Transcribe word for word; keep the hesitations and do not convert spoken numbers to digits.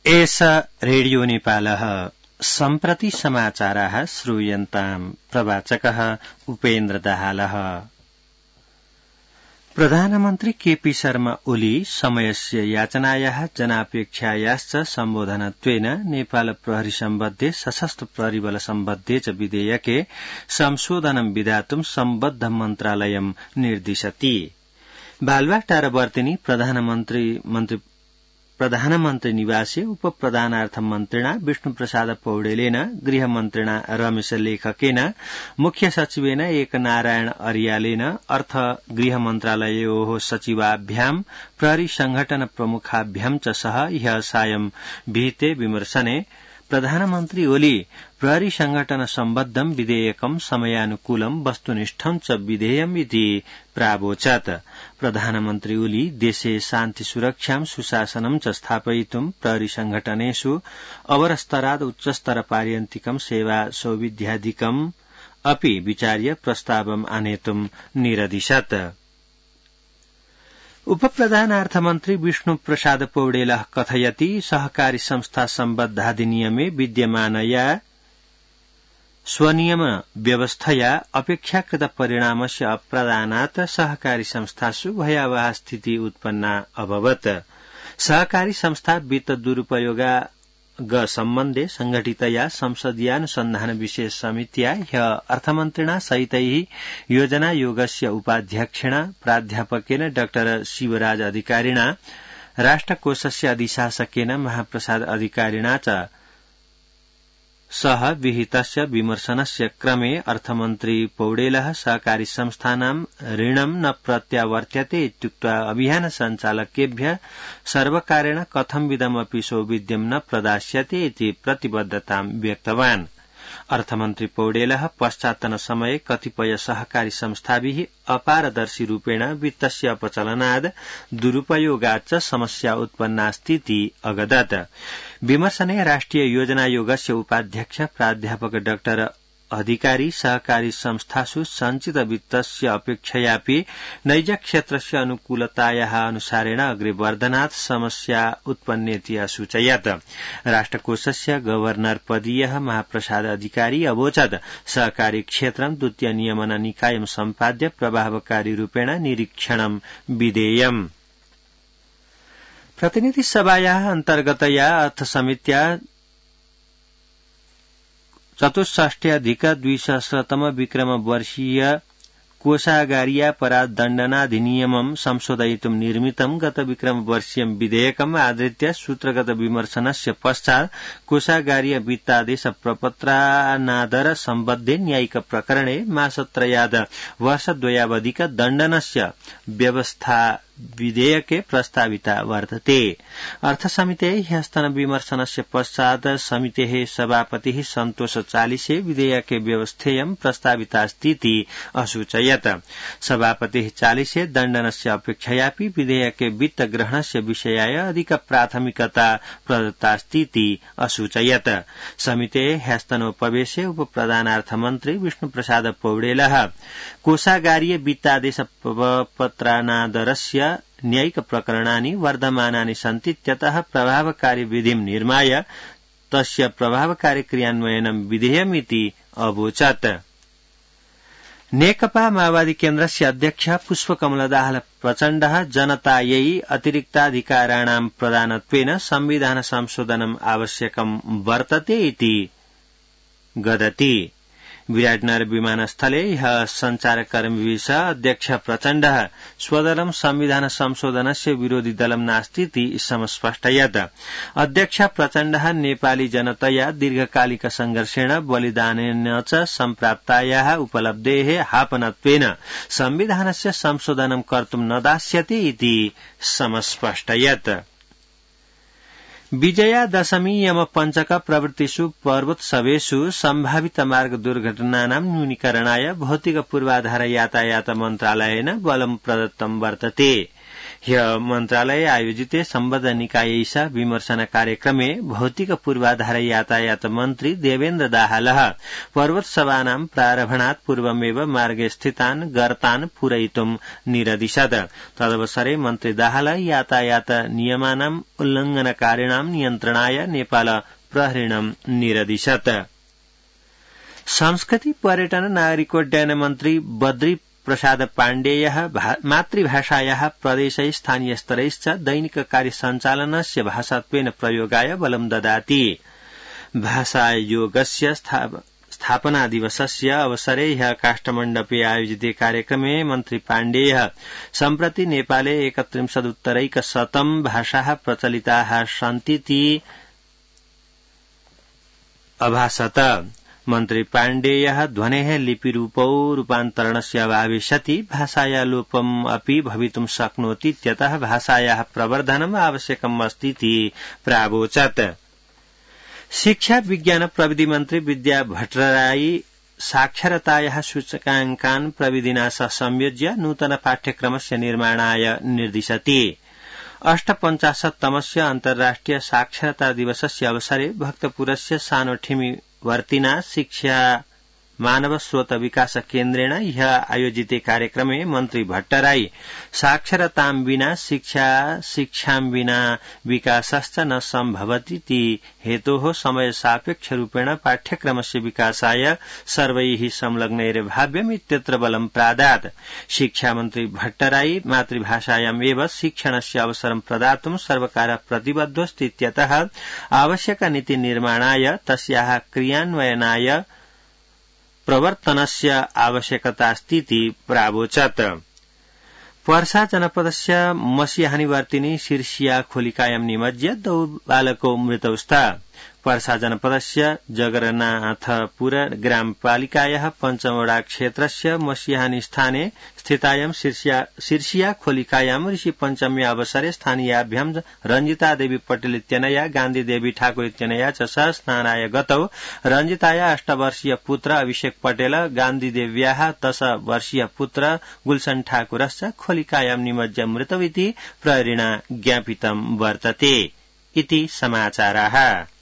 एष रेडियो नेपालः सम्प्रति समाचाराः श्रूयन्ताम् प्रवाचकः उपेन्द्र दाहालः। प्रधानमन्त्री केपी शर्मा ओली समयस्य याचनायाः जनापेक्षायाश्च सम्बोधनत्वेन नेपाल प्रहरी सम्बद्धे सशस्त्र प्रहरीबल सम्बद्धे च विधेयके संशोधनं विधातुं सम्बद्ध मन्त्रालयं निर्दिशति। बालुवाटारवर्तिनी प्रधानमन्त्री मन्त्री प्रधानमन्त्री निवासे उप प्रधानार्थ मन्त्रिणा विष्णुप्रसाद पौडेलेन गृहमन्त्रिणा रमेश लेखकेन मुख्य सचिवेन एक नारायण अर्यालेन अर्थ गृह मन्त्रालयोः सचिवाभ्यां प्रहरी संघटन प्रमुखाभ्यां च सह ह्यः सायं विहिते विमर्शने प्रधानमन्त्री ओली प्रहरी संघटन सम्बद्धं विधेयकं समयानुकूलं वस्तुनिष्ठं च विधेयम् इति प्रावोचत्। प्रधानमन्त्री ओली देशे शान्ति सुरक्षां सुशासनं च स्थापयितुं प्रहरी संघटनेषु अवरस्तराद् उच्चस्तर पार्यन्तिकं सेवा सौविध्यादिकम् अपि विचार्य प्रस्तावम् आनेतुं निरदिशत्। उपप्रधानार्थमन्त्री विष्णु प्रसाद पौडेलः कथयति सहकारी संस्था सम्बद्धाधिनियमे विद्यमानया स्वनियम व्यवस्थया अपेक्षाकृत परिणामस्य अप्रदानात् सहकारी संस्थासु भयावहा स्थिति उत्पन्ना अभवत्। सहकारी संस्था वित्त दुरुपयोगा ग सम्बन्धे संघटितया संसदीयानुसन्धान विशेष समित्या ह्यः अर्थमन्त्रिणा सहितैः योजनायोगस्य उपाध्यक्षेण प्राध्यापकेन डाक्टर शिवराज अधिकारिणा राष्ट्रकोषस्य अधिशासकेन महाप्रसाद अधिकारिणा च सह विहितस्य विमर्शनस्य क्रमे अर्थमन्त्री पौडेलः सहकारी संस्थानां ऋणं न प्रत्यावर्त्यते इत्युक्त्वा अभियान सञ्चालकेभ्यः सर्वकारेण कथंविधमपि सौविध्यं न प्रदास्यते इति प्रतिबद्धतां व्यक्तवान्। अर्थमन्त्री पौडेलः पश्चात्तन समये कतिपय सहकारी संस्थाभिः अपारदर्शी रूपेण वित्तस्य अपचलनाद् दुरुपयोगाच्च समस्या उत्पन्नास्तीति अगदत्। विमर्शने राष्ट्रिय योजनायोगस्य उपाध्यक्ष प्राध्यापक डाक्टर अधिकारी सहकारी संस्थासु संचित वित्तस्य अपेक्षयापि नैज क्षेत्रस्य अनुकूलतायाः अनुसारेण अग्रे वर्धनात् समस्या उत्पन्नेति असूचयत्। राष्ट्रकोषस्य गवर्नर पदीयः महाप्रसाद अधिकारी अवोचत् सहकारी क्षेत्रं द्वितीय नियमन निकायं सम्पाद्य प्रभावकारी रूपेण निरीक्षणं विधेयम्। प्रतिनिधि सभायाः अन्तर्गतया अर्थसमित्या चतुष्षष्ट्यधिक द्विसहस्रतम विक्रम वर्षीय कोषागारीयापराध दण्डनाधिनियमं संशोधयितुं निर्मितं गत विक्रम वर्षीयं विधेयकम् आधृत्य सूत्रगत विमर्शनस्य पश्चात् कोषागारीय वित्तादेश प्रपत्रानादर सम्बद्धे न्यायिक प्रकरणे मासत्रयाद वर्षद्वयावधिक दण्डनस्य व्यवस्था विधेयके प्रस्ताविता वर्तते। अर्थसमितेः ह्यस्तन विमर्शनस्य पश्चात् समितेः सभापतिः सन्तोष चालिसे विधेयके व्यवस्थेयं प्रस्तावितास्तीति असूचयत्। सभापतिः चालिसे दण्डनस्य अपेक्षयापि विधेयके वित्तग्रहणस्य विषयाय अधिक प्राथमिकता प्रदत्तास्तीति असूचयत्। समितेः ह्यस्तनोपवेशे उपप्रधानार्थमन्त्री विष्णुप्रसाद पौडेलः कोषागारीय वित्तादेश पत्रानादरस्य न्यायिक प्रकरणानि वर्धमानानि सन्ति त्यतः प्रभावकारी विधिं निर्माय तस्य प्रभावकारी क्रियान्वयनं विधेयमिति अवोचत्। नेकपा माओवादी केन्द्रस्य अध्यक्ष पुष्पकमल दाहाल प्रचण्डः जनतायै अतिरिक्ताधिकाराणां प्रदानत्वेन संविधान संशोधनम् आवश्यकं वर्तते इति गदति। विराटनगर विमानस्थले ह्यः सञ्चारकर्मिभिः सह अध्यक्ष प्रचण्डः स्वदलं संविधान संशोधनस्य विरोधी दलं नास्तीति समस्पष्टयत्। अध्यक्ष प्रचण्डः नेपाली जनतया दीर्घकालिक संघर्षेण बलिदानेन च सम्प्राप्तायाः उपलब्धेः हापनत्वेन संविधानस्य संशोधनं कर्तुं न दास्यते इति समस्पष्टयत्। विजया दशमी यम पंचक प्रवृत्तिषु पर्वोत्सवेषु सम्भावित मार्ग दुर्घटनानां न्यूनीकरणाय भौतिक पूर्वाधार यातायात मन्त्रालयेन बलं प्रदत्तं वर्तते। ह्य मन्त्रालय आयोजिते सम्बद्ध निकायैष विमर्शन कार्यक्रमे भौतिक पूर्वाधार यातायात मन्त्री देवेन्द्र दाहालः पर्वतसभानां प्रारभणात् पूर्वमेव मार्गे स्थितान् गर्तान् पूरयितुं निरदिशत्। तदवसरे मन्त्री दाहाल यातायात नियमानाम् उल्लंघनकारिणां नियन्त्रणाय नेपाल प्रहरीणं निरदिशत्। संस्कृति पर्यटन नागरिकोड्डयन मन्त्री बद्री प्रसाद पाण्डेयः मातृभाषायाः प्रदेशै स्थानीय स्तरैश्च दैनिक कार्य सञ्चालनस्य भाषात्वेन प्रयोगाय बलं ददाति। भाषायोगस्य स्थापना दिवसस्य अवसरे ह्यः काष्ठमण्डपे आयोजिते कार्यक्रमे मन्त्री पाण्डेयः सम्प्रति नेपाले एकत्रिंशदुत्तरैकशतं भाषाः प्रचलिताः सन्तीति अभाषत। मन्त्री पाण्डेयः ध्वनेः लिपिरूपौ रूपान्तरणस्य अभावे सति भाषाया लोपम् अपि भवितुं शक्नोति इत्यतः भाषायाः प्रवर्धनम् आवश्यकम् अस्तीति प्रावोचत्। शिक्षा विज्ञान प्रविधि मन्त्री विद्या भट्टराई साक्षरतायाः सूचकाङ्कान् प्रविधिना सह संयोज्य नूतन पाठ्यक्रमस्य निर्माणाय निर्दिशति। अष्टपञ्चाशत्तमस्य अन्तर्राष्ट्रिय साक्षरता दिवसस्य अवसरे भक्तपुरस्य सानोठिमी वर्तिना शिक्षा मानव स्रोत विकास केन्द्रेण ह्यः आयोजिते कार्यक्रमे मन्त्री भट्टराई साक्षरतां विना शिक्षा शिक्षां विना विकासश्च न सम्भवतीति हेतोः समय सापेक्ष रूपेण पाठ्यक्रमस्य विकासाय सर्वैः संलग्नैर्भाव्यम् इत्यत्र बलं प्रादात्। शिक्षा मन्त्री भट्टराई मातृभाषायाम् एव शिक्षणस्य अवसरं प्रदातुं सर्वकारः प्रतिबद्धोऽस्ति इत्यतः आवश्यक नीति निर्माणाय तस्याः क्रियान्वयनाय प्रवर्तनस्य आवश्यकतास्तीति प्रावोचत्। पर्सा जनपदस्य मसिहानिवर्तिनी शीर्षिया खोलिकायां निमज्ज्य द्वौ बालकौ मृतौ स्तः। पर्सा जनपदस्य जगन्नाथपुर ग्रामपालिकायाः पञ्चमवडा क्षेत्रस्य मसिहानी स्थाने स्थितायां शीर्षिया खोलिकायां ऋषि पञ्चम्या अवसरे स्थानीयाभ्यां रञ्जिता देवी पटेल इत्यनया गान्धी देवी ठाकुर इत्यनया च सह स्नानाय गतौ रञ्जिताया अष्टवर्षीय पुत्र अभिषेक पटेल गान्धी देव्याः दश वर्षीय पुत्र गुलशन ठाकुरश्च खोलिकायां निमज्ज्य मृतौ इति प्रहरिणा ज्ञापितं वर्तते। इति समाचाराः।